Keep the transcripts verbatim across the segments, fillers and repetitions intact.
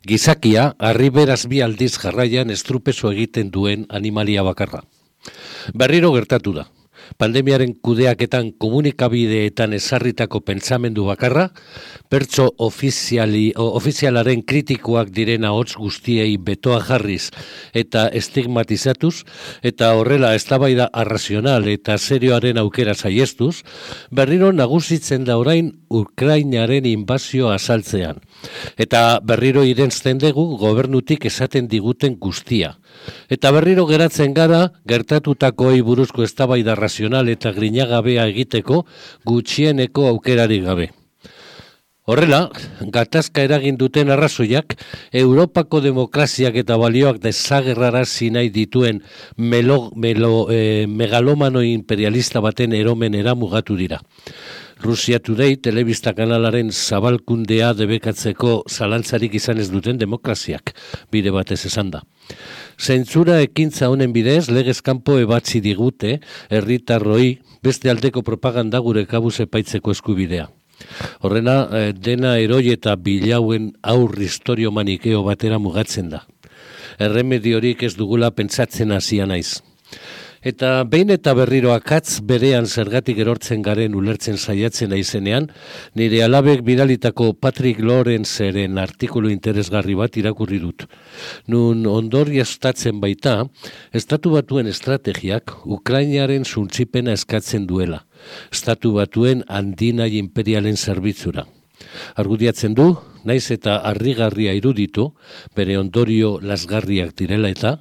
Gizakia, harriberaz bi aldiz jarraian estrupeso egiten duen animalia bakarra. Berriro gertatu da. Pandemiaren kudeaketan komunikabideetan ezarritako pentsamendu bakarra, pertso ofiziali, ofizialaren kritikoak diren ahots guztiei betoa jarriz eta estigmatizatuz, eta horrela eztabaida arrazional eta serioaren aukera saiestuz, berriro nagusitzen da orain Ukrainaren inbazio azaltzean. Eta berriro irensten dugu gobernutik esaten diguten guztia. Eta berriro geratzen gara gertatutakoei buruzko eztabaida razional eta grinagabea egiteko gutxieneko aukerarik gabe. Horrela, gatazka eragin duten arrazoiak, Europako demokraziak eta balioak desagerrarazi nahi dituen melo, melo, eh, megalomano imperialista baten eromenera mugatu dira. Rusia Today telebista kanalaren zabalkundea debekatzeko zalantzarik izan ez duten demokraziak, bide batez esan da. Zentzura ekintza honen bidez, legez kanpo ebatzi digute, herritarroi beste aldeko propaganda gure kabuz epaitzeko eskubidea. Horrena, dena eroi eta bilauen aur historio manikeo batera mugatzen da. Erremediorik ez dugula pentsatzen hasia naiz. Eta behin eta berriro akatz berean zergatik erortzen garen ulertzen saiatzen aizenean, nire alabek bidalitako Patrick Lorenzeren artikulu interesgarri bat irakurri dut. Nun ondorioztatzen baita, Estatu Batuen estrategiak Ukrainaren suntsipena eskatzen duela. Estatu Batuen handinai imperialen zerbitzura. Argudiatzen du, naiz eta harrigarria iruditu, bere ondorio lasgarriak direla eta,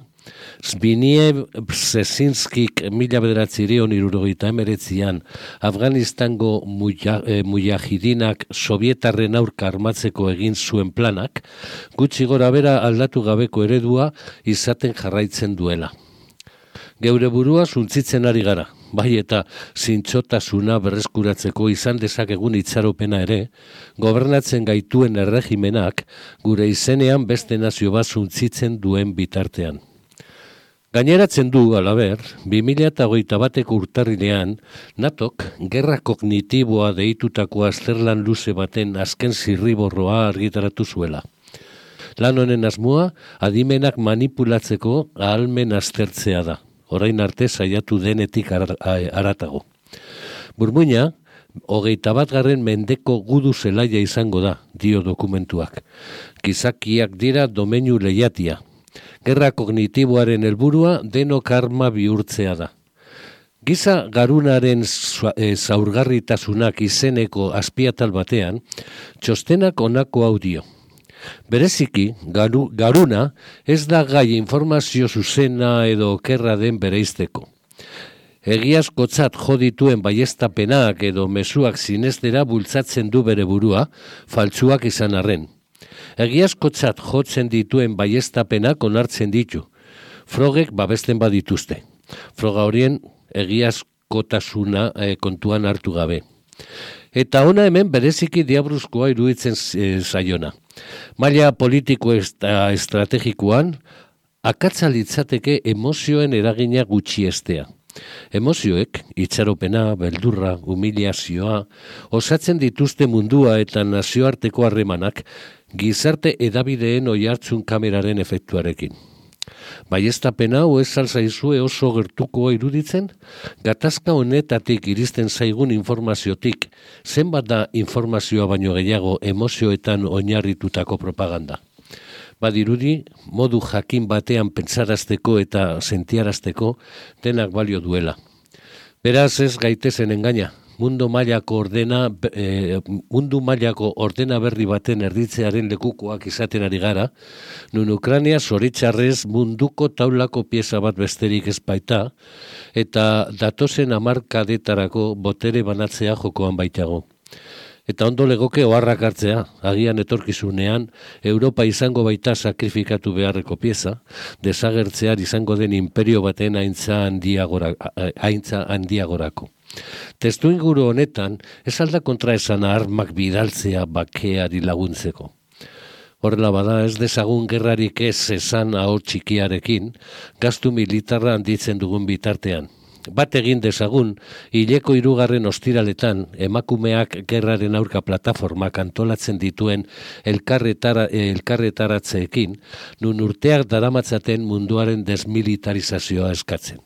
Zbigniew Brzezinskik mila bederatzireun irurogeita emeretzian Afganistango mujahidinak sovietarren aurka armatzeko egin zuen planak, gutxi gora bera aldatu gabeko eredua izaten jarraitzen duela. Geure burua suntzitzen ari gara, bai eta zintzotasuna berreskuratzeko izan dezakegun itxaropena ere, gobernatzen gaituen erregimenak gure izenean beste nazio bat suntzitzen duen bitartean. Gaineratzen du, alaber, bi mila hogeita bateko urtarrilean, natok gerra kognitiboa deitutako azterlan luze baten azken zirriborroa argitaratu zuela. Lan honen asmoa, adimenak manipulatzeko ahalmen aztertzea da, orain arte saiatu denetik haratago. Burmuina, hogeita bat garren mendeko gudu zelaia izango da, dio dokumentuak. Gizakiak dira domeinu lehiatia. Gerra kognitiboaren helburua denok arma bihurtzea da. Giza garunaren zaurgarritasunak izeneko azpiatal batean, txostenak honako audio. Bereziki, garu, garuna ez da gai informazio zuzena edo okerra den bereizteko. Egiazkotzat jo dituen baieztapenak edo mezuak zinestera bultzatzen du bere burua, faltsuak izan arren. Egiazkotzat jotzen dituen baieztapenak onartzen ditu. Frogek babesten badituzte. Froga horien egiazkotasuna e, kontuan hartu gabe. Eta ona hemen bereziki diabruzkoa iruditzen e, zaiona. Maila politiko eta estrategikoan, akatsa litzateke emozioen eragina gutxiestea. Emozioek, itxaropena, beldurra, humiliazioa, osatzen dituzte mundua eta nazioarteko harremanak gizarte edabideen oihartzun kameraren efektuarekin. Baieztapen hau ez alzaizue oso gertukoa iruditzen? Gatazka honetatik iristen zaigun informaziotik, zenbat da informazioa baino gehiago emozioetan oinarritutako propaganda? Badirudi, modu jakin batean pentsarazteko eta sentiarazteko denak balio duela. Beraz ez gaitezen engaina, mundu mailako ordena, e, mundu mailako ordena berri baten erditzearen lekukoak izaten ari gara, nun Ukraina zoritxarrez munduko taulako pieza bat besterik ez baita, eta datozen hamarkadetarako botere banatzea jokoan baitago. Eta ondo legoke oharrak hartzea, agian etorkizunean, Europa izango baita sakrifikatu beharreko pieza, desagertzear izango den imperio baten haintza handiagora, haintza handiagorako. Testu inguru honetan, ez alda kontraesan armak bidaltzea bakeari laguntzeko. Horrela bada ez dezagun gerrarik ez esan ahot txikiarekin, gastu militarra handitzen dugun bitartean. Bat egin dezagun, hileko hirugarren ostiraletan emakumeak gerraren aurka plataformak antolatzen dituen elkarretara, elkarretaratzeekin, nun urteak daramatzaten munduaren desmilitarizazioa eskatzen.